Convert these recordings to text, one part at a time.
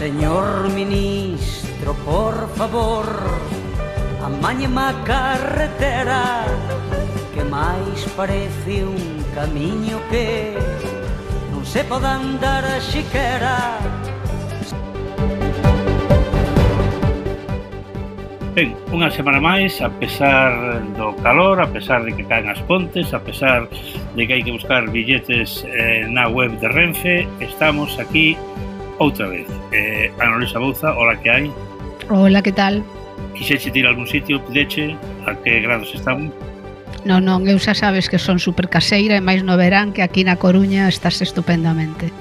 Señor ministro, por favor, amañeme a carretera, que máis parece un camiño que non se pode andar a xiquera. Ben, unha semana máis, a pesar do calor, a pesar de que caen as pontes, a pesar de que hai que buscar billetes na web de Renfe, estamos aquí outra vez. Ana Luisa Bouza, hola, que hai? Hola, que tal? Quixeche ir a algún sitio, pudeche? A que grados están? Non, eu xa sabes que son super caseira e máis no verán, que aquí na Coruña estás estupendamente.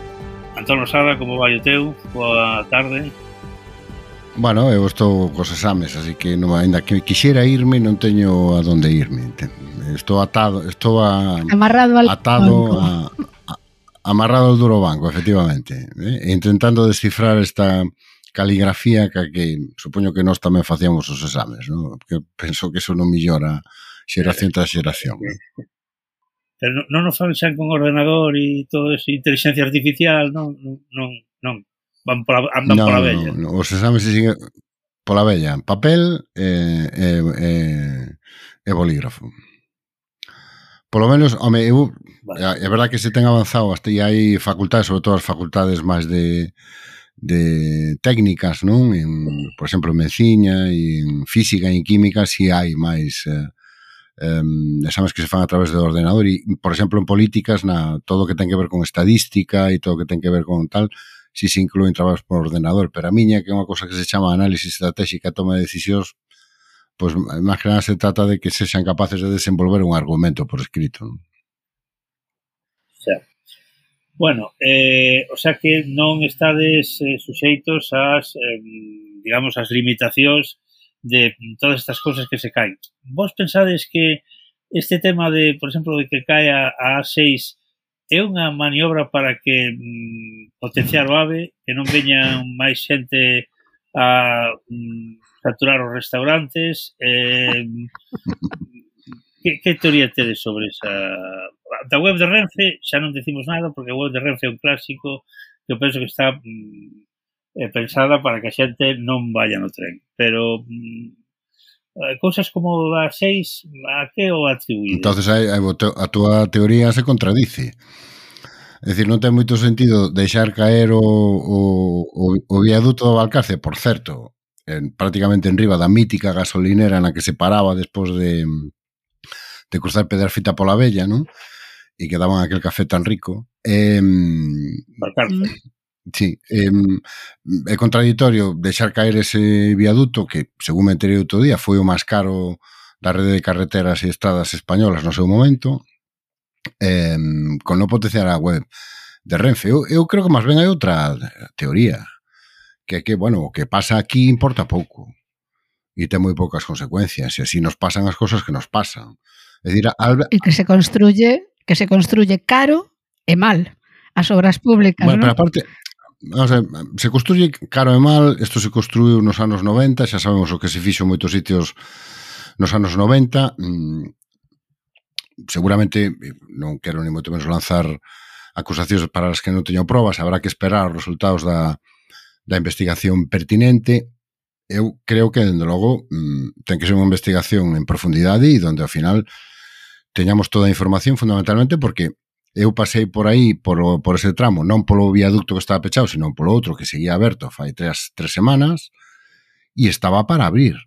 Antón Rosada, como vai o teu? Boa tarde. Bueno, eu estou cos exames, así que non, ainda que quixera irme, non teño a donde irme. Estou atado, amarrado al banco. Amarrado ao duro banco, efectivamente, intentando descifrar esta caligrafía que supoño que nós tamén facíamos os exames, ¿no? Porque penso que eso non millora xeración tras xeración, ¿no? Pero non nos fan con ordenador e todo eso, inteligencia artificial, non. Andan pola vella. No, os exames se siguen pola vella, papel e bolígrafo. Polo menos, home, é verdad que se ten avanzado hasta e hai facultades, sobre todo as facultades máis de técnicas, non? Por exemplo, en medicina, en física e en química, si hai máis exames que se fan a través do ordenador e, por exemplo, en políticas, todo o que ten que ver con estadística e todo o que ten que ver con tal, si se inclúen traballos por ordenador, pero a miña, que é unha cosa que se chama análisis estratégica e toma de decisións, pois máis que nada se trata de que sexan capaces de desenvolver un argumento por escrito, non? Xa. Bueno, o sea que non estades suxeitos ás, digamos, as limitacións de todas estas cousas que se caen. Vos pensades que este tema de, por exemplo, de que cae a A6 é unha maniobra para que potenciar o AVE, que non veñan máis xente a saturar os restaurantes? Que teoría tedes sobre esa... Da web de Renfe xa non decimos nada, porque a web de Renfe é un clásico que eu penso que está pensada para que a xente non vaya no tren. Pero cousas como a 6, a que o atribuídes? Entonces a túa teoría se contradice. É dicir, non ten moito sentido deixar caer o viaduto do Valcarce, por certo, prácticamente en riba da mítica gasolinera na que se paraba despois de cruzar Pedrafita pola Vella, non? E que daban aquel café tan rico. Valcarce. Sí, é contradictorio deixar caer ese viaduto que, según me enterei outro día, foi o máis caro da rede de carreteras e estradas españolas no seu momento, con non potenciar a web de Renfe. Eu creo que máis ben hai outra teoría, que é que, bueno, o que pasa aquí importa pouco e ten moi poucas consecuencias, e así nos pasan as cousas que nos pasan. É dicir, e que se construye caro e mal as obras públicas, bueno, ¿no? Pero aparte, vamos a ver, se construye caro e mal, isto se construiu nos anos 90, xa sabemos o que se fixo en moitos sitios nos anos 90, seguramente, non quero ni moito menos lanzar acusacións para as que non teño probas, habrá que esperar os resultados da investigación pertinente. Eu creo que, dende logo, ten que ser unha investigación en profundidade e donde, ao final, teñamos toda a información, fundamentalmente porque eu pasei por aí, por ese tramo, non polo viaducto que estaba pechado, sino polo outro que seguía aberto fai 3 semanas, e estaba para abrir.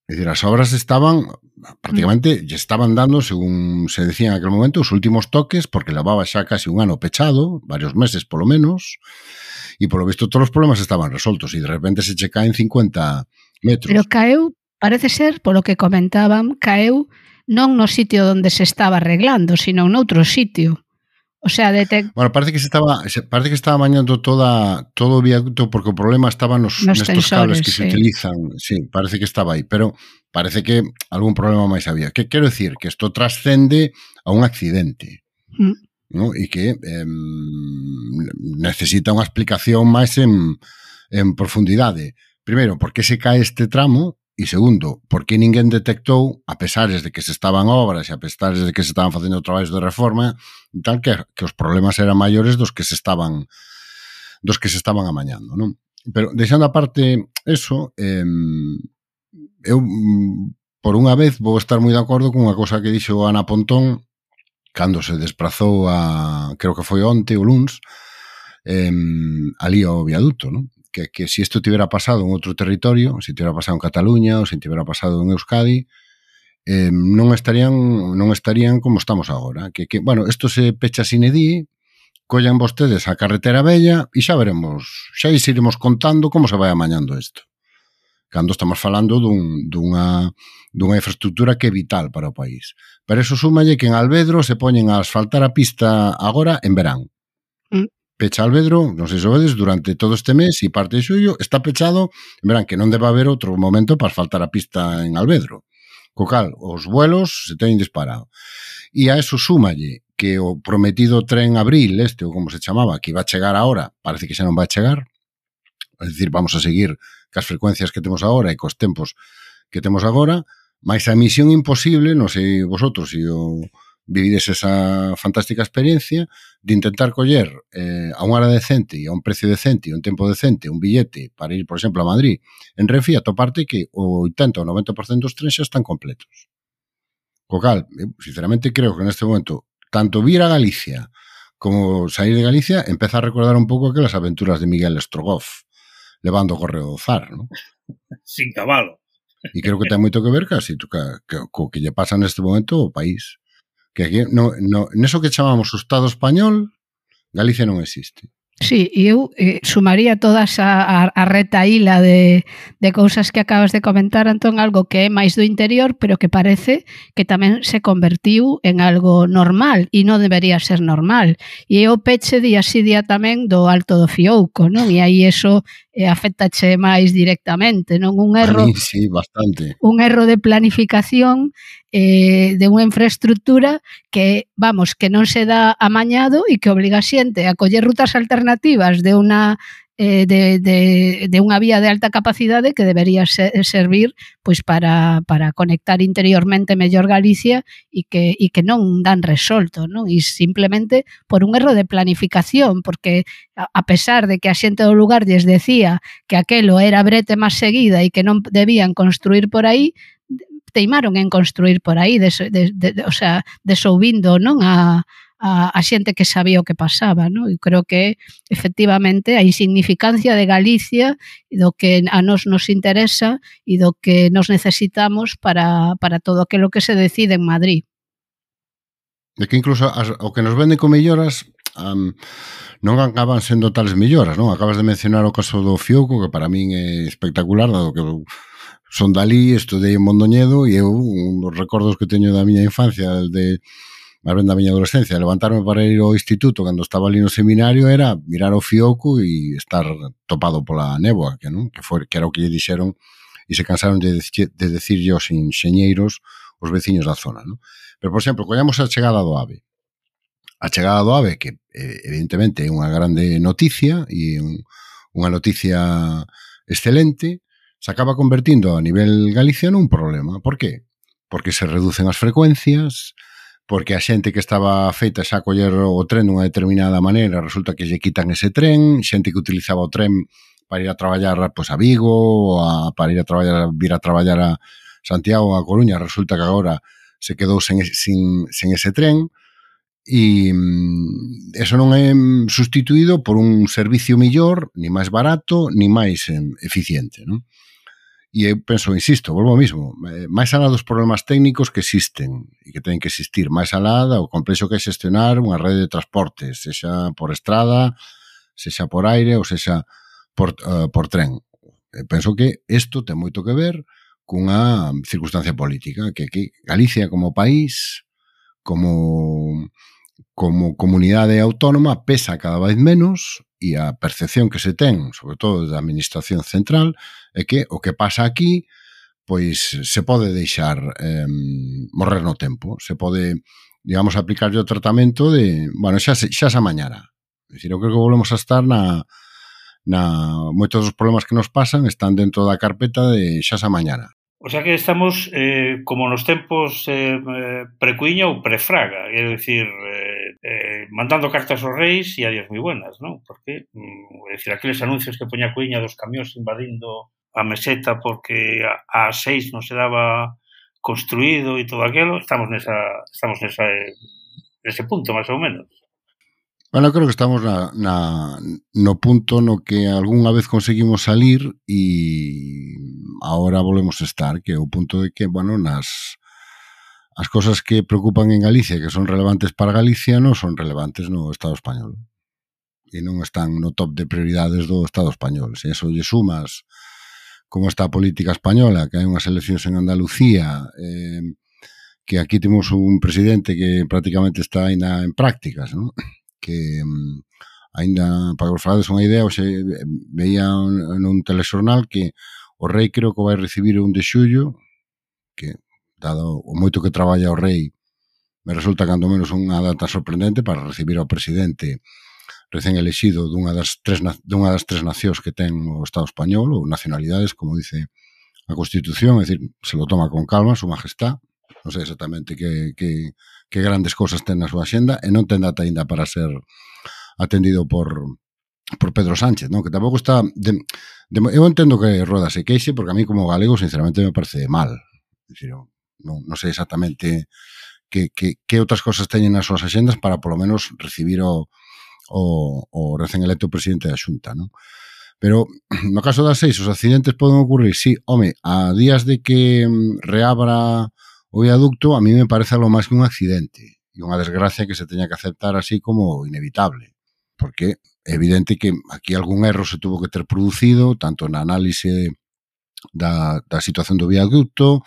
É dicir, as obras estaban, prácticamente, lle estaban dando, según se decía en aquel momento, os últimos toques, porque levaba xa casi un ano pechado, varios meses polo menos, e polo visto todos os problemas estaban resoltos, e de repente se che caen 50 metros. Pero caeu, parece ser, polo que comentaban, caeu non no sitio onde se estaba arreglando, sino noutro sitio. O sea, bueno, parece que estaba mañando todo o viaducto porque o problema estaba nestos cables que se utilizan. Sí, parece que estaba aí, pero parece que algún problema máis había. Que quero decir? Que isto trascende a un accidente, ¿no? E que necesita unha explicación máis en profundidade. Primeiro, por que se cae este tramo? E segundo, por que ninguén detectou, a pesares de que se estaban obras e a pesares de que se estaban facendo traballos de reforma, tal que os problemas eran maiores dos que se estaban amañando, non? Pero, deixando aparte eso, eu, por unha vez, vou estar moi de acordo con unha cousa que dixo Ana Pontón cando se desplazou creo que foi onte ou luns, ali ao viaduto, non? Que se isto tivera pasado en outro territorio, se tivera pasado en Cataluña ou se tivera pasado en Euskadi, non estarían como estamos agora. Bueno, isto se pecha sine die, collan vostedes a carretera bella e xa veremos, xa iremos contando como se vai amañando isto. Cando estamos falando dunha infraestructura que é vital para o país. Pero eso súmalle que en Alvedro se poñen a asfaltar a pista agora en verán. Pecha Alvedro, non sei se vedes, durante todo este mes e parte de xullo está pechado en verán, que non debe haber outro momento para asfaltar a pista en Alvedro. Co cal, os vuelos se teñen disparado. E a eso súmalle que o prometido tren Abril, ou como se chamaba, que iba a chegar ahora, parece que xa non vai chegar, é dicir, vamos a seguir cas frecuencias que temos agora e cos tempos que temos agora, máis a misión imposible, non sei vosotros se vivides esa fantástica experiencia de intentar coller a unha hora decente e a un precio decente e a un tempo decente un billete para ir, por exemplo, a Madrid en Renfe, atoparte que o 80 ou 90% dos trens xa están completos. Co cal, sinceramente, creo que neste momento tanto vir a Galicia como sair de Galicia empeza a recordar un pouco aquelas aventuras de Miguel Strogoff levando o correo do Zar, non? Sin cabalo. E creo que ten moito que ver casi co que lle pasa neste momento ao país. Que aquí, neso que chamamos o Estado español, Galicia non existe. Sí, e eu sumaría todas a retaíla de cousas que acabas de comentar, Antón, algo que é máis do interior, pero que parece que tamén se convertiu en algo normal, e non debería ser normal. E é o peche día sí día tamén do Alto do Fiouco, non? E aí eso afectache máis directamente, non? Un erro, a mí, sí, bastante. Un erro de planificación de unha infraestructura que, vamos, que non se dá amañado e que obliga a xente a coller rutas alternativas de unha vía de alta capacidade que debería servir pois para conectar interiormente mellor Galicia e que non dan resolto, non? E simplemente por un erro de planificación, porque a pesar de que a xente do lugar lles decía que aquelo era a brete máis seguida e que non debían construir por aí, teimaron en construir por aí, o sea, desouvindo, non, a xente que sabía o que pasaba, non? E creo que efectivamente a insignificancia de Galicia e do que a nos interesa e do que nos necesitamos para todo aquilo que se decide en Madrid. De que incluso o que nos venden con melloras non acaban sendo tales melloras, non? Acabas de mencionar o caso do Fiouco, que para min é espectacular, dado que son dali, estudei en Mondoñedo e eu, un dos recordos que teño da miña infancia, máis ben da miña adolescencia, levantarme para ir ao instituto cando estaba ali no seminario era mirar o Fiouco e estar topado pola néboa, que era o que lle dixeron e se cansaron de decirlle aos enxeñeiros os veciños da zona, non? Pero, por exemplo, collamos a chegada do AVE. A chegada do AVE, que evidentemente é unha grande noticia e unha noticia excelente, se acaba convertindo a nivel Galicia nun problema. Por qué? Porque se reducen as frecuencias, porque a xente que estaba feita xa a coller o tren dunha determinada maneira, resulta que lle quitan ese tren, xente que utilizaba o tren para ir a traballar pois, a Vigo, para ir a traballar, vir a traballar a Santiago ou a Coruña, resulta que agora se quedou sen ese tren, e eso non é sustituído por un servicio millor, ni máis barato, ni máis eficiente, non? E eu penso, insisto, volvo ao mismo, máis alá dos problemas técnicos que existen e que teñen que existir, máis alá do complexo que é xestionar unha rede de transportes, sexa por estrada, sexa por aire ou sexa por tren. Penso que isto ten moito que ver cunha circunstancia política, que Galicia como país, como comunidade autónoma, pesa cada vez menos e a percepción que se ten, sobre todo da administración central, é que o que pasa aquí pois se pode deixar morrer no tempo, se pode, digamos, aplicarlle o tratamento de, bueno, xa se amañará. É dicir, eu creo que volvemos a estar moitos dos problemas que nos pasan están dentro da carpeta de xa se amañará. O sea que estamos como nos tempos precuiña ou prefraga, é dicir, mandando cartas aos reis e adiós moi buenas, non? Porque, é dicir, aqueles anuncios que poña a Cuiña dos camións invadindo a meseta porque a 6 non se daba construído e todo aquilo, estamos nese punto, máis ou menos. Bueno, creo que estamos no punto no que algunha vez conseguimos salir e ahora volvemos a estar, que é o punto de que, bueno, as cosas que preocupan en Galicia, que son relevantes para Galicia, non son relevantes no Estado español. E non están no top de prioridades do Estado español. Se eso lle sumas como está a política española, que hai unhas eleccións en Andalucía, que aquí temos un presidente que prácticamente está ainda en prácticas, non? Que ainda, para que vos falades unha idea, hoxe veía nun telexornal que o rei creo que vai recibir un de xullo, que dado o moito que traballa o rei, me resulta cando menos unha data sorprendente para recibir ao presidente recén elexido dunha das tres nacións que ten o Estado español, ou nacionalidades, como dice a Constitución, é dicir, se lo toma con calma, su majestad, non sei exactamente que grandes cosas ten na súa axenda, e non ten data ainda para ser atendido por Pedro Sánchez, non? Que tampouco está... eu entendo que Rueda se queixe, porque a mí como galego, sinceramente, me parece mal. É dicir, non sei exactamente que outras cosas teñen nas súas axendas para polo menos recibir o recén electo presidente da Xunta, non? Pero no caso das 6 os accidentes poden ocurrir, sí, home, a días de que reabra o viaducto, a mí me parece algo máis que un accidente e unha desgracia que se teña que aceptar así como inevitable, porque é evidente que aquí algún erro se tuvo que ter producido, tanto na análise da situación do viaducto,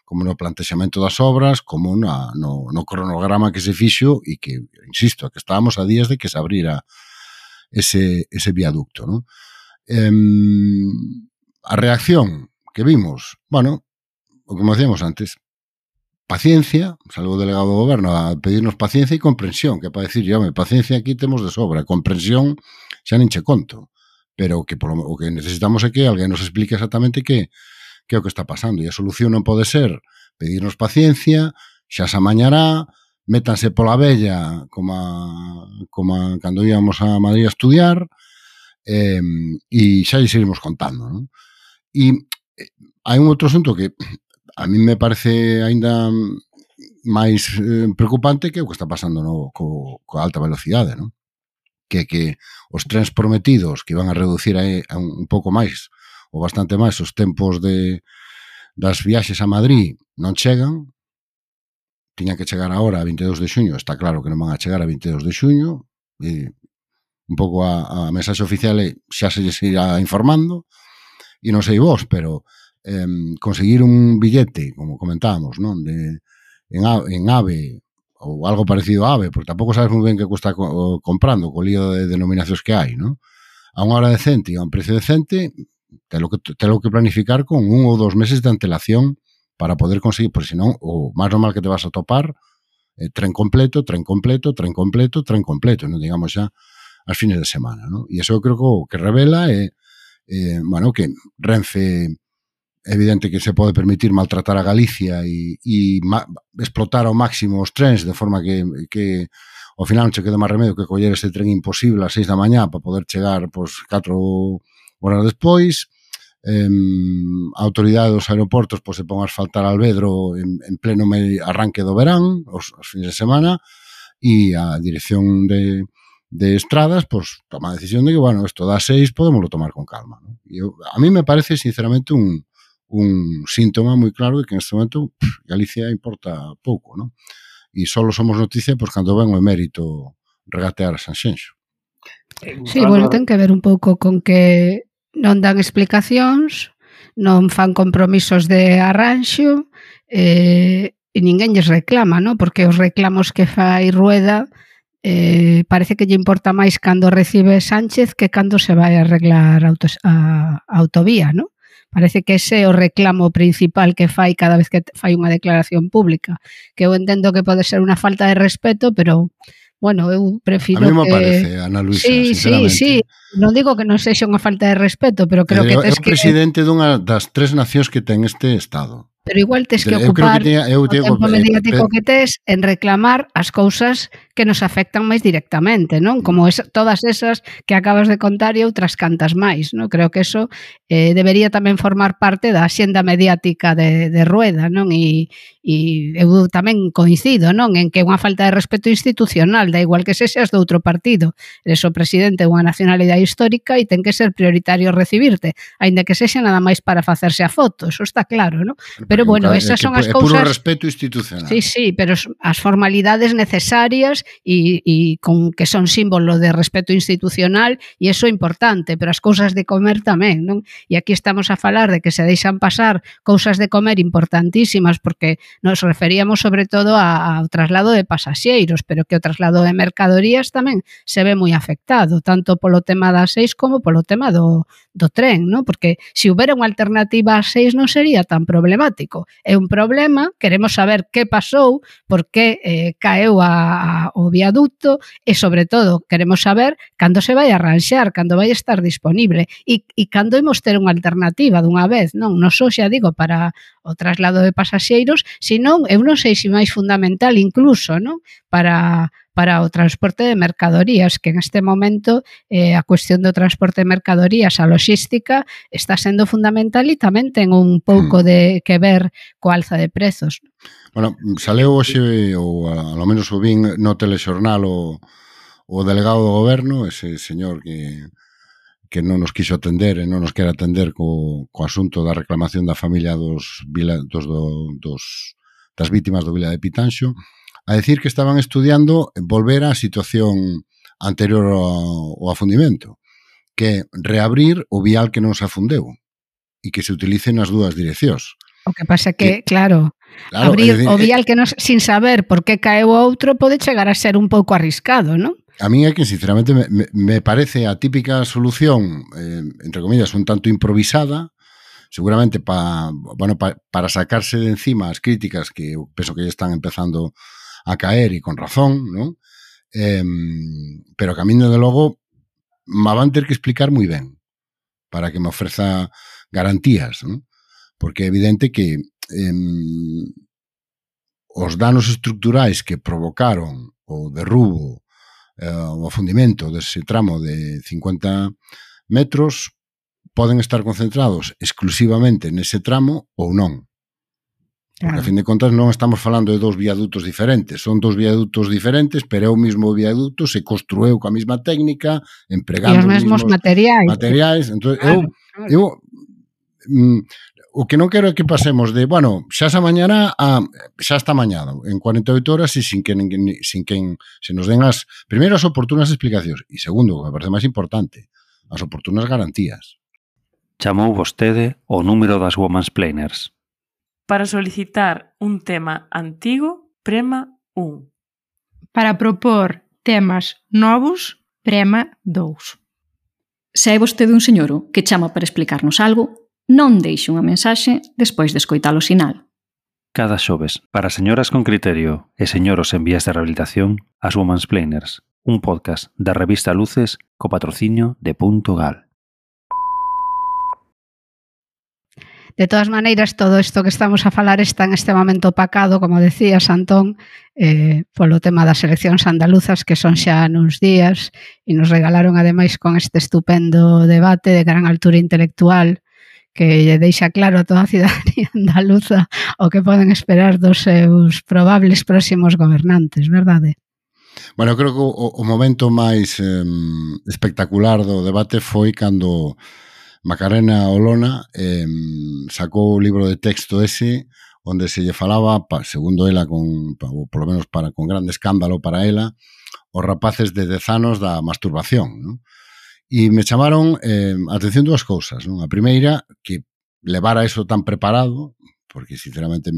como no plantexamento das obras, como no cronograma que se fixo e que, insisto, que estábamos a días de que se abrira ese viaducto, non? A reacción que vimos, bueno, o que decíamos antes, paciencia, salvo o delegado do goberno a pedirnos paciencia e comprensión, que para decir, home, paciencia aquí temos de sobra, comprensión xa nin che conto, pero que o que necesitamos é que alguén nos explique exactamente que é o que está pasando, e a solución non pode ser pedirnos paciencia, xa se amañará, métanse pola vella como cando íamos a Madrid a estudiar, e xa lle seguimos contando, non? E hai un outro asunto que a mí me parece aínda máis preocupante, que é o que está pasando coa alta velocidade, non? Que os trens prometidos que van a reducir un pouco máis ou bastante máis os tempos das viaxes a Madrid non chegan, tiñan que chegar agora a 22 de xuño, está claro que non van a chegar a 22 de xuño, e un pouco a mensaxe oficial xa se irá informando, e non sei vos, pero conseguir un billete, como comentábamos, non, en AVE, ou algo parecido a AVE, porque tampouco sabes moi ben que cuesta comprando, co lío de denominacións que hai, non? A unha hora decente e a un precio decente, telo que planificar con 1 ou 2 meses de antelación para poder conseguir, porque senón o máis normal que te vas a topar tren completo, non digamos xa as fines de semana, non? E iso eu creo que revela bueno, que Renfe é evidente que se pode permitir maltratar a Galicia e explotar ao máximo os trens, de forma que ao final non che queda máis remedio que coller ese tren imposible ás 6 da mañá para poder chegar 4 horas despois. A autoridade dos aeroportos se pon a asfaltar Albedro en pleno arranque do verán, os fins de semana, e a dirección de estradas toma a decisión de que, bueno, isto das 6 podémoslo tomar con calma, ¿no? E a mí me parece, sinceramente, un síntoma moi claro de que en este momento Galicia importa pouco, ¿no? E só somos noticia cando ven o emérito regatear a Sanxenxo. Sí, bueno, ten que ver un pouco con que non dan explicacións, non fan compromisos de arranxo, e ninguén lles reclama, ¿no? Porque os reclamos que fai Rueda parece que lle importa máis cando recibe Sánchez que cando se vai a arreglar a autovía, ¿no? Parece que ese é o reclamo principal que fai cada vez que fai unha declaración pública, que eu entendo que pode ser unha falta de respeto, pero bueno, eu prefiro que... A mí me parece, Ana Luisa, sinceramente. Sí, non digo que non sexa unha falta de respeto, pero creo que tes que... É o presidente dunha das 3 nacións que ten este Estado. Pero igual tes que ocupar o tempo mediático que tes en reclamar as cousas que nos afectan máis directamente, non? Como todas esas que acabas de contar e outras cantas máis, non? Creo que eso debería tamén formar parte da axenda mediática de Rueda, non? E eu tamén coincido, non? En que é unha falta de respeto institucional, da igual que sexas de outro partido. Eres o presidente de unha nacionalidade histórica e ten que ser prioritario recibirte, aínda que sexa nada máis para facerse a foto, eso está claro, non? Pero bueno, esas son as cousas... É puro respeto institucional. Sí, pero as formalidades necesarias e con que son símbolo de respeto institucional e eso é importante, pero as cousas de comer tamén, non? E aquí estamos a falar de que se deixan pasar cousas de comer importantísimas porque nos referíamos sobre todo ao traslado de pasaxeiros, pero que o traslado de mercadorías tamén se ve moi afectado, tanto polo tema das 6 como polo tema do tren, non? Porque se houbera unha alternativa ás 6 non sería tan problemático. É un problema, queremos saber que pasou, por que caeu o viaducto e, sobre todo, queremos saber cando se vai arranxar, cando vai estar disponible e cando imos ter unha alternativa dunha vez, non? Non só, xa digo, para o traslado de pasaxeiros, senón, eu non sei se máis fundamental incluso, non? Para o transporte de mercadorías, que en este momento a cuestión do transporte de mercadorías, a logística, está sendo fundamental e tamén ten un pouco de que ver coa alza de prezos. Bueno, saleu hoxe, ou ao menos o vin no telexornal o delegado do goberno, ese señor que non nos quiso atender e non nos quere atender co asunto da reclamación da familia das vítimas do Vila de Pitanxo, a decir que estaban estudiando volver á situación anterior ao afundimento, que é reabrir o vial que non se afundeu e que se utilice nas dúas direccións. O que pasa que, claro, abrir o vial que non, sin saber por que caeu o outro pode chegar a ser un pouco arriscado, non? A mí é que, sinceramente, me parece a típica solución, entre comillas, un tanto improvisada, seguramente para sacarse de encima as críticas que eu penso que ya están empezando a caer e con razón, ¿no? Pero que a mí, desde logo, me van ter que explicar moi ben para que me ofreza garantías, ¿no? Porque é evidente que os danos estructurais que provocaron o derrubo, o afundimento dese tramo de 50 metros poden estar concentrados exclusivamente nese tramo ou non. Porque, a fin de contas, non estamos falando de dous viadutos diferentes. Son dous viadutos diferentes, pero é o mismo viaduto, se construeu coa mesma técnica, empregando os mesmos materiais. Entón, eu o que non quero é que pasemos de, bueno, xa esa mañana a xa está mañana, en 48 horas e sin que se nos den primeiro, as oportunas explicacións e segundo, o que me parece máis importante, as oportunas garantías. Chamou vostede o número das womansplainers. Para solicitar un tema antigo, prema 1. Para propor temas novos, prema 2. Se hai vostede un señoro que chama para explicarnos algo, non deixe unha mensaxe despois de escoitar o sinal. Cada xoves, para señoras con criterio e señoros en vías de rehabilitación, as womansplainers, un podcast da revista Luces co patrocinio de .gal. De todas maneiras, todo isto que estamos a falar está en este momento opacado, como decías, Antón, polo tema das eleccións andaluzas, que son xa nuns días, e nos regalaron, ademais, con este estupendo debate de gran altura intelectual, que lle deixa claro a toda a cidadanía andaluza o que poden esperar dos seus probables próximos gobernantes, verdade? Bueno, eu creo que o momento máis espectacular do debate foi cando Macarena Olona sacou o libro de texto ese onde se lle falaba, segundo ela, ou polo menos con grande escándalo para ela, os rapaces de 10 anos da masturbación, non? E me chamaron a atención dúas cousas, non? A primeira, que levara eso tan preparado, porque sinceramente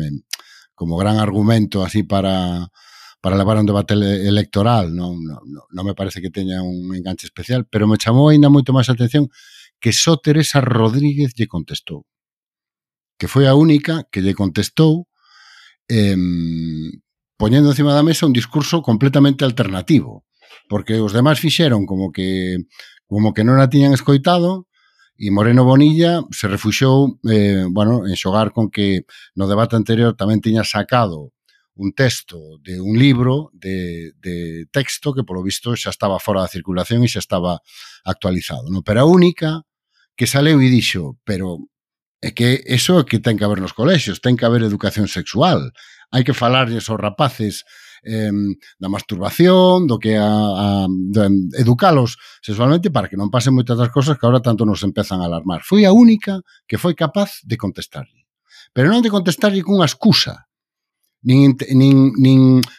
como gran argumento así para levar un debate electoral non me parece que teña un enganche especial, pero me chamou ainda moito máis a atención que só Teresa Rodríguez lle contestou, que foi a única que lle contestou poñendo encima da mesa un discurso completamente alternativo, porque os demais fixeron como que non a tiñan escoitado e Moreno Bonilla se refuxou en xogar con que no debate anterior tamén tiña sacado un texto de un libro de texto que polo visto xa estaba fora da circulación e xa estaba actualizado, non? Pero a única que saleu e dixo, pero é que eso é que ten que haber nos colexios, ten que haber educación sexual, hai que falarlles aos rapaces da masturbación, do que educalos sexualmente para que non pasen moitas das cosas que agora tanto nos empezan a alarmar. Foi a única que foi capaz de contestarlle. Pero non de contestarlle cunha excusa, nin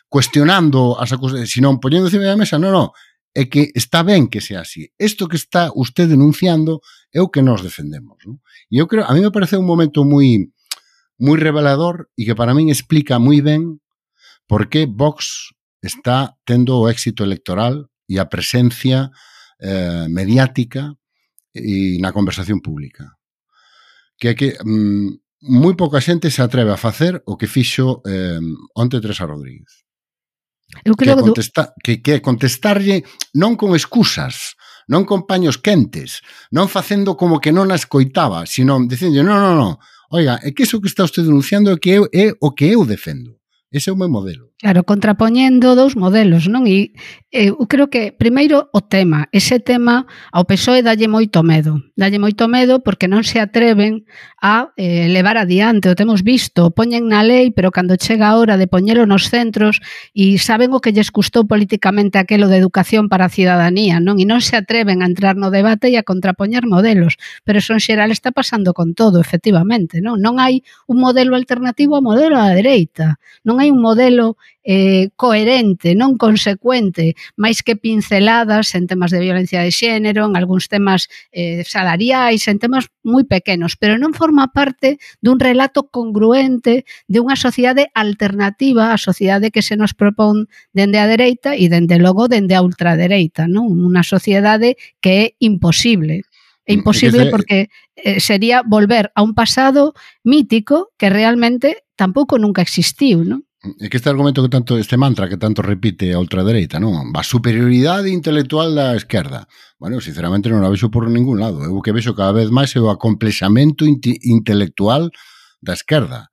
cuestionando as acusas, sino poñendo encima da mesa, non, é que está ben que sea así. Isto que está usted denunciando é o que nos defendemos, non? E eu creo, a mí me parece un momento moi revelador e que para min explica moi ben por que Vox está tendo o éxito electoral e a presencia mediática e na conversación pública. Que é que moi pouca xente se atreve a facer o que fixo onte Teresa Rodríguez. Eu creo que é contestarlle non con excusas, non con paños quentes, non facendo como que non a escoitaba, sino dicendo, non, oiga, é que iso que está usted denunciando é o que eu defendo. Ese é o meu modelo. Claro, contrapoñendo dous modelos, non? E eu creo que, primeiro, o tema. Ese tema ao PSOE dalle moito medo. Dalle moito medo porque non se atreven a levar adiante. O temos visto, poñen na lei, pero cando chega a hora de poñelo nos centros e saben o que lles custou políticamente aquelo de educación para a cidadanía, non? E non se atreven a entrar no debate e a contrapoñer modelos. Pero eso en xeral está pasando con todo, efectivamente, non? Non hai un modelo alternativo ao modelo da dereita. Non hai un modelo coherente, non consecuente, máis que pinceladas en temas de violencia de xénero, en algúns temas salariais, en temas moi pequenos, pero non forma parte dun relato congruente de unha sociedade alternativa á sociedade que se nos propón dende a dereita e dende logo dende a ultradereita, non? Unha sociedade que é imposible. É imposible porque sería volver a un pasado mítico que realmente tampouco nunca existiu, non? É que este argumento que tanto, este mantra que tanto repite a ultradereita, non? A superioridade intelectual da esquerda. Bueno, sinceramente non a vexo por ningún lado. Eu que vexo cada vez máis é o acomplexamento intelectual da esquerda.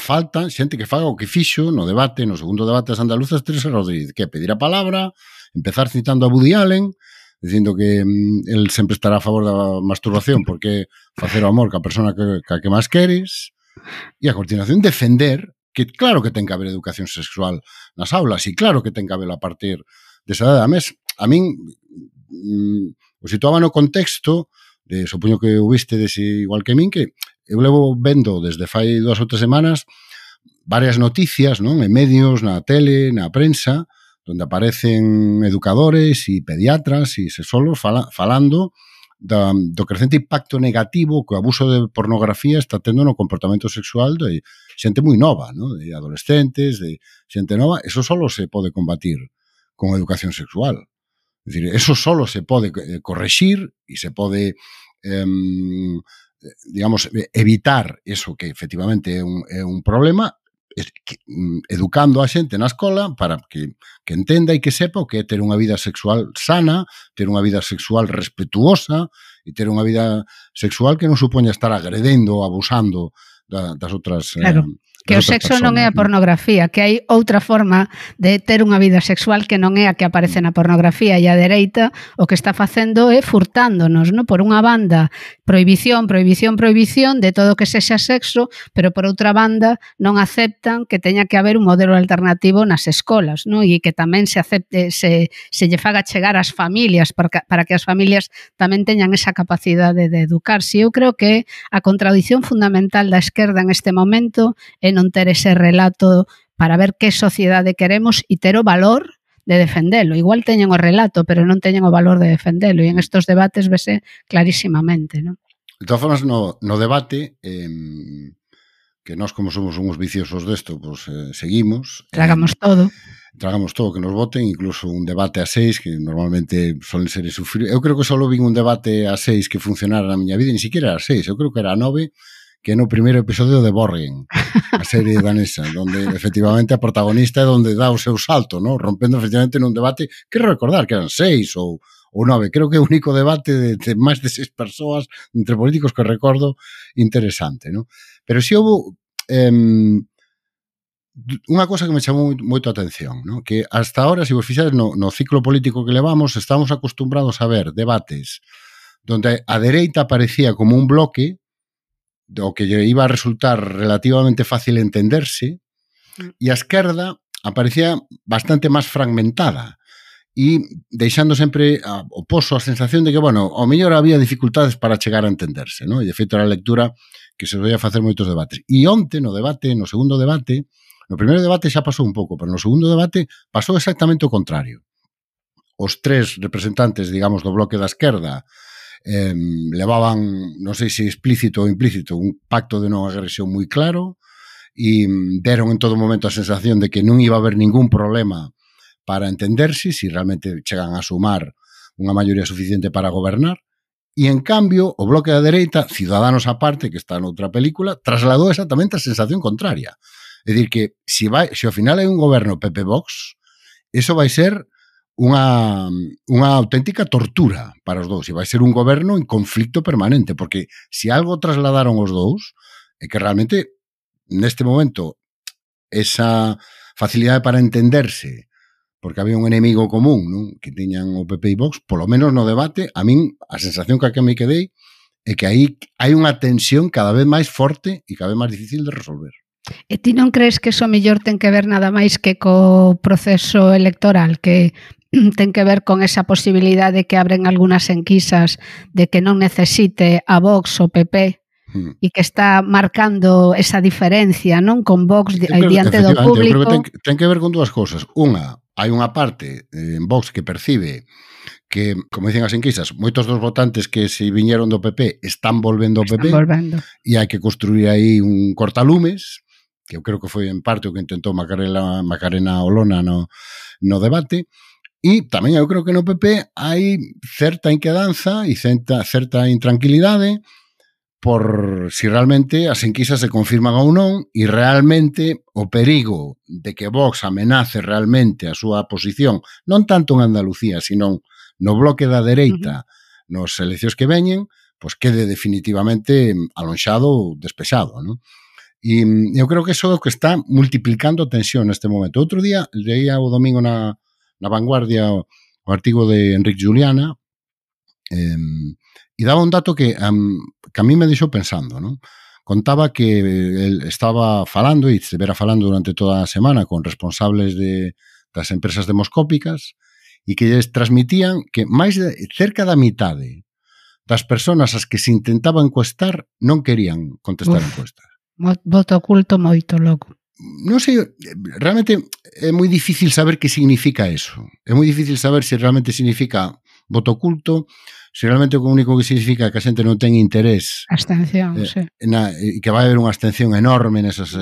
Falta xente que faga o que fixo no debate, no segundo debate das andaluzas, Teresa Rodríguez, que é pedir a palabra, empezar citando a Woody Allen, dicindo que el sempre estará a favor da masturbación porque facer o amor ca persona que máis queres, e a continuación defender que claro que ten que haber educación sexual nas aulas e claro que ten que haber a partir desa edad. A mes, a min o situaba no contexto de, supoño que o viste igual que min, que eu levo vendo desde fai 2 ou 3 semanas varias noticias, non, en medios, na tele, na prensa, onde aparecen educadores e pediatras e sexólogos falando do crecente impacto negativo que o abuso de pornografía está tendo no comportamento sexual de xente moi nova, ¿no? De adolescentes, de xente nova. Eso solo se pode combatir con educación sexual. Es decir, eso solo se pode corregir e se pode digamos, evitar eso que efectivamente é un problema, educando a xente na escola para que entenda e que sepa o que é ter unha vida sexual sana, ter unha vida sexual respetuosa e ter unha vida sexual que non supoña estar agredendo ou abusando das outras claro. Que o sexo non é a pornografía, que hai outra forma de ter unha vida sexual que non é a que aparece na pornografía, e a dereita o que está facendo é furtándonos, non? Por unha banda, prohibición de todo o que sexa sexo, pero por outra banda non aceptan que teña que haber un modelo alternativo nas escolas, non? E que tamén se acepte, se lle faga chegar ás familias para que as familias tamén teñan esa capacidade de educarse. Eu creo que a contradición fundamental da esquerda en este momento é non ter ese relato para ver que sociedade queremos e ter o valor de defendelo. Igual teñen o relato, pero non teñen o valor de defendelo, e en estos debates vese clarísimamente, non? De todas formas, no debate, que nós como somos uns viciosos desto, pues, seguimos. Tragamos todo que nos voten, incluso un debate a 6, que normalmente solen ser sufrir. Eu creo que só vin un debate a 6 que funcionara na miña vida, ni siquiera a 6, eu creo que era a 9, que é no primeiro episodio de Borgen, a serie danesa, onde efectivamente a protagonista é onde dá o seu salto, ¿no? Rompendo efectivamente nun debate, quero recordar que eran 6 ou 9, creo que é o único debate de máis de 6 persoas entre políticos que recordo interesante, ¿no? Pero si houve unha cosa que me chamou moito a atención, ¿no? Que hasta ahora, se vos fixades no ciclo político que levamos, estamos acostumbrados a ver debates donde a dereita parecía como un bloque do que lle iba a resultar relativamente fácil entenderse e a esquerda aparecía bastante máis fragmentada e deixando sempre o poso a sensación de que, bueno, ao mellor había dificultades para chegar a entenderse, ¿no? E de feito era a lectura que se podía facer moitos debates. E onte, no segundo debate, no primeiro debate xa pasou un pouco, pero no segundo debate pasou exactamente o contrario. Os tres representantes, digamos, do bloque da esquerda levaban, non sei se explícito ou implícito, un pacto de non agresión moi claro e deron en todo momento a sensación de que non iba a haber ningún problema para entenderse, si realmente chegan a sumar unha maioría suficiente para gobernar. E, en cambio, o bloque da dereita, Ciudadanos aparte, que está noutra película, trasladou exactamente a sensación contraria. É dicir, que se ao final hai un goberno PP-Vox, eso vai ser unha auténtica tortura para os dous. E vai ser un goberno en conflicto permanente, porque se algo trasladaron os dous, é que realmente, neste momento, esa facilidade para entenderse, porque había un enemigo común, non? Que tiñan o PP e Vox, polo menos no debate, a min, a sensación que me quedei é que aí hai unha tensión cada vez máis forte e cada vez máis difícil de resolver. E ti non crees que eso mellor ten que ver nada máis que co proceso electoral, que ten que ver con esa posibilidade que abren algunhas enquisas de que non necesite a Vox o PP e que está marcando esa diferencia, non? Con Vox diante do público. Eu creo que ten que ver con dúas cousas. Unha, hai unha parte en Vox que percibe que, como dicen as enquisas, moitos dos votantes que se viñeron do PP están volvendo ao PP e hai que construir aí un cortalumes, que eu creo que foi en parte o que intentou Macarena Olona no debate. E tamén eu creo que no PP hai certa inquedanza e certa intranquilidade por si realmente as enquisas se confirman ou non e realmente o perigo de que Vox amenace realmente a súa posición, non tanto en Andalucía, sino no bloque da dereita nos eleccións que veñen, pois quede definitivamente alonxado, despexado, non? E eu creo que iso é o que está multiplicando a tensión neste momento. Outro día, leía o domingo na Vanguardia o artigo de Enric Juliana e daba un dato que a mí me deixou pensando, non? Contaba que el estaba falando e estivera falando durante toda a semana con responsables das empresas demoscópicas e que lles transmitían que máis de cerca da mitade das persoas as que se intentaba encuestar non querían contestar encuestas. Voto oculto moito logo. Non sei, realmente é moi difícil saber que significa eso. É moi difícil saber se realmente significa voto oculto, se realmente o único que significa que a xente non ten interés. Abstención, sí. E que vai haber unha abstención enorme nesas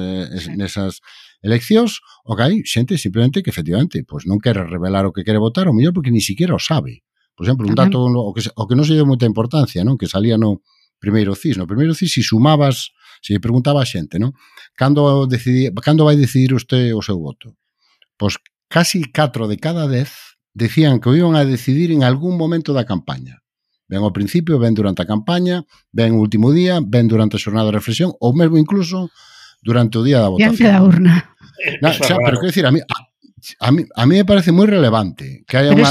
eleccións, o que hai xente simplemente que efectivamente pois non quere revelar o que quere votar, ou mellor porque ni siquiera o sabe. Por exemplo, un dato o que non se deu moita importancia, non? Que salía no primeiro CIS. No primeiro CIS, se sumabas, se preguntaba a xente, non? Cando vai decidir usted o seu voto? Pois casi 4 de cada 10 decían que o iban a decidir en algún momento da campaña. Ben ao principio, ben durante a campaña, ben o último día, ben durante a xornada de reflexión, ou mesmo incluso durante o día da votación. Diante da urna. Pero quero dicir, a mí me parece moi relevante que haya unha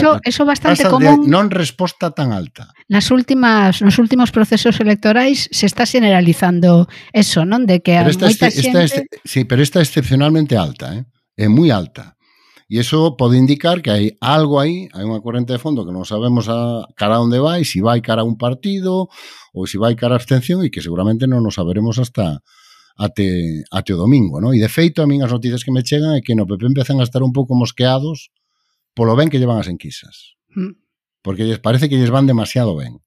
bastante tasa común, de non resposta tan alta. Nos últimos procesos electorais se está generalizando eso, non? De que moita xente... Sí, pero esta é excepcionalmente alta, é moi alta. E iso pode indicar que hai algo aí, hai unha corrente de fondo que non sabemos a cara onde vai, se vai cara a un partido ou se vai cara a abstención e que seguramente non nos saberemos hasta até o domingo, non? E de feito, a min as noticias que me chegan é que no PP empezan a estar un pouco mosqueados polo ben que llevan as enquisas. Porque lles parece que lles van demasiado ben.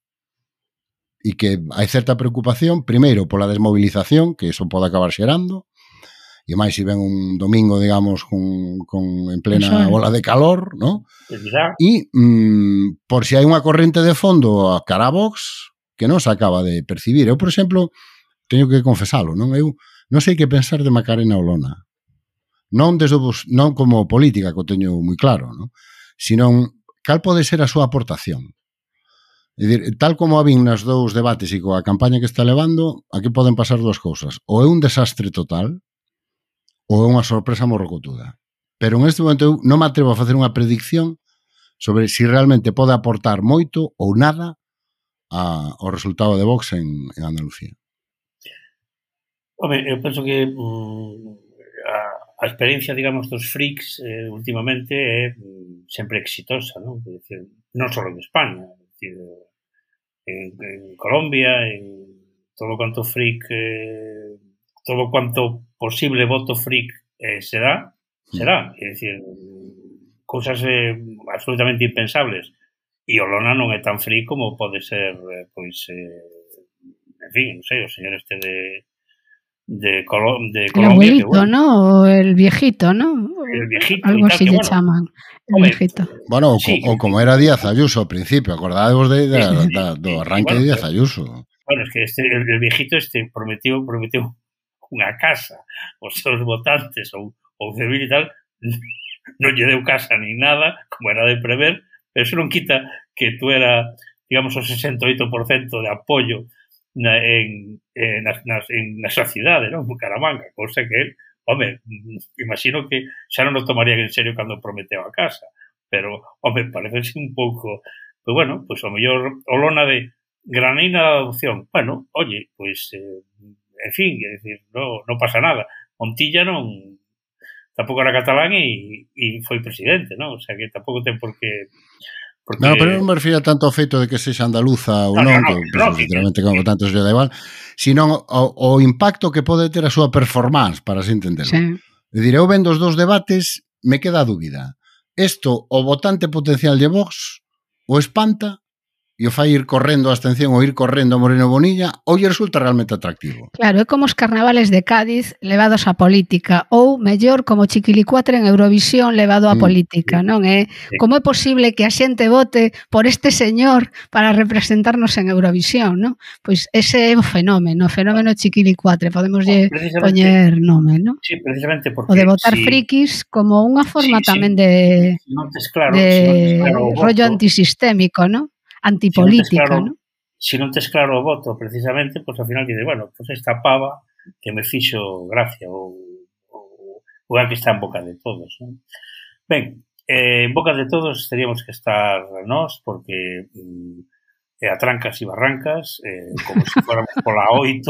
E que hai certa preocupación, primeiro, pola desmovilización, que iso pode acabar xerando, e máis se ven un domingo, digamos, en plena ola de calor, non? E por se hai unha corrente de fondo a cara a Vox que non se acaba de percibir. Eu, por exemplo, teño que confesalo, non? Eu non sei que pensar de Macarena Olona. Non como política, que o teño moi claro, non? Sino cal pode ser a súa aportación. É dicir, tal como a vin nas dous debates e coa campaña que está levando, aquí poden pasar dúas cousas. Ou é un desastre total, ou é unha sorpresa morrocotuda. Pero en este momento eu non me atrevo a facer unha predicción sobre si realmente pode aportar moito ou nada ao resultado de Vox en Andalucía. Home, eu penso que a experiencia, digamos, dos freaks últimamente é sempre exitosa, non? É dicir, non só en España, é dicir, en Colombia, en todo quanto freak, todo quanto posible voto freak será, é dicir, cousas absolutamente impensables. E Olona non é tan freak como pode ser, pois, en fin, non sei, o señor este de Colombia. El abuelito, que, bueno, ¿no? O el viejito, ¿no? El viejito. Algo así le bueno, llaman. El viejito. Bueno, sí, o como era Díaz Ayuso ao principio, acordádevos do arranque de Díaz Ayuso. Bueno, es que el viejito prometió unha casa aos seus votantes ou civil e tal, non lle deu casa nin nada, como era de prever, pero eso non quita que tú era, digamos, o 68% de apoio na súa cidade, non? Bucaramanga, cousa que él, home, imagino que xa non o tomarían en serio cando prometeu a casa, pero, home, parece un pouco, pues bueno, pues o mellor Olona de Granina da adopción. Bueno, oye, pues, en fin, é dicir, non pasa nada. Montilla non, tampouco era catalán e foi presidente, non? O sea, que tampouco ten por qué... Porque... No, pero non me refiro tanto ao feito de que sexa andaluza ou non, que literalmente como tanto se da igual, sino o impacto que pode ter a súa performance, para así entenderlo. Sí. É dicir, eu vendo os dos debates, me queda a dúbida. Isto, o votante potencial de Vox, o espanta e o fai ir correndo a abstención ou ir correndo a Moreno Bonilla, ou lle resulta realmente atractivo. Claro, é como os carnavales de Cádiz levados á política, ou, mellor, como Chiquilicuatre en Eurovisión levado á política, non é? Como é posible que a xente vote por este señor para representarnos en Eurovisión, non? Pois ese é o fenómeno Chiquilicuatre, podemos poñer nome, non? Sí, precisamente porque... O de votar frikis como unha forma tamén de rollo antisistémico, non? Antipolítica, ¿no? Si non tes claro o voto, precisamente, pues ao final dice, bueno, pues esta pava que me fixo gracia ou a que está en boca de todos, ¿no? Ben, en boca de todos teríamos que estar nós, porque a trancas e barrancas, como si fóramos pola 8,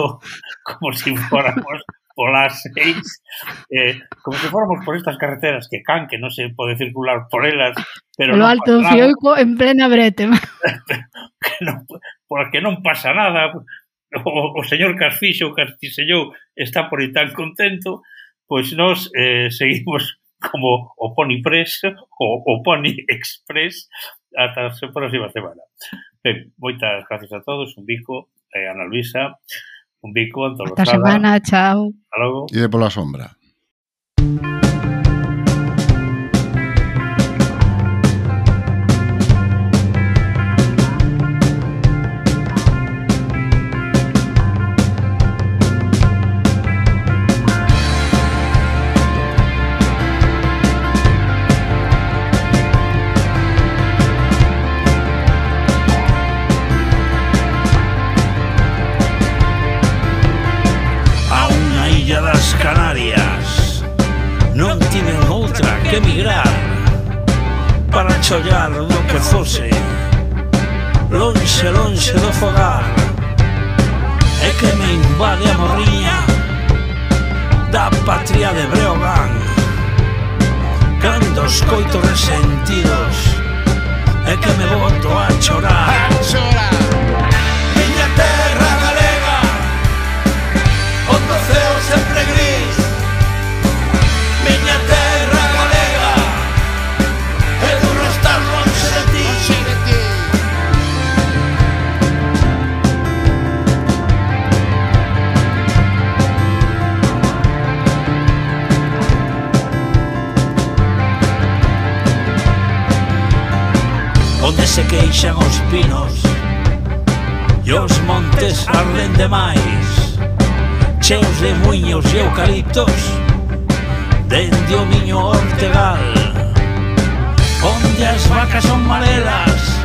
como si fóramos pola 6, como si fóramos por estas carreteras que non se pode circular por elas, pero lo alto do Fioico en plena brete. Porque non pasa nada. O señor Casfixo, o Castisellou está por aí tan contento, pois nós seguimos como o Pony Press o Pony Express ata a próxima semana. Ben, moitas gracias a todos, un bico, Ana Luisa, un bico, Antón Lozada. Esta semana, chao. Hasta logo. E de pola sombra. Chollar do que fose lonxe do fogar é que me invade a morriña da patria de Breogán cando os coitos resentidos é que me boto a chorar miña terra galega onde o ceo sempre gris miña terra galega é duro estar longe de ti onde se queixan os pinos e os montes arden demais cheos de muiños e eucaliptos dende o miño ortegal onde as vacas son marelas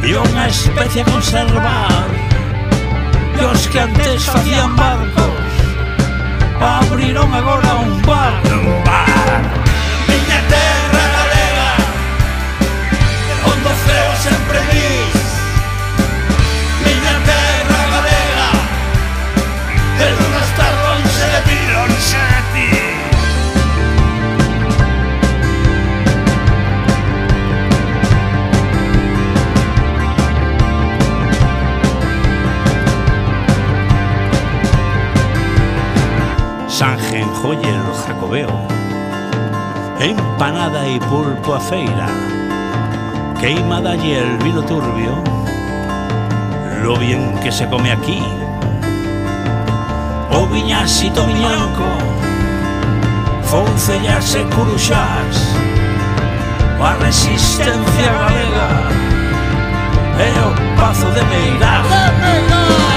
e unha especie a conservar e os que antes facían barcos abriron agora un bar. Miña terra galega, onde o ceo sempre gris. Miña terra galega, pero non está lonxe de ti, lonxe de ti. Sange en joyer jacobeo, empanada y pulpo a feira, queimada y el vino turbio, lo bien que se come aquí. O viñasito viñanco, foncellas e curuxás, a resistencia galega e o pazo de Meirás.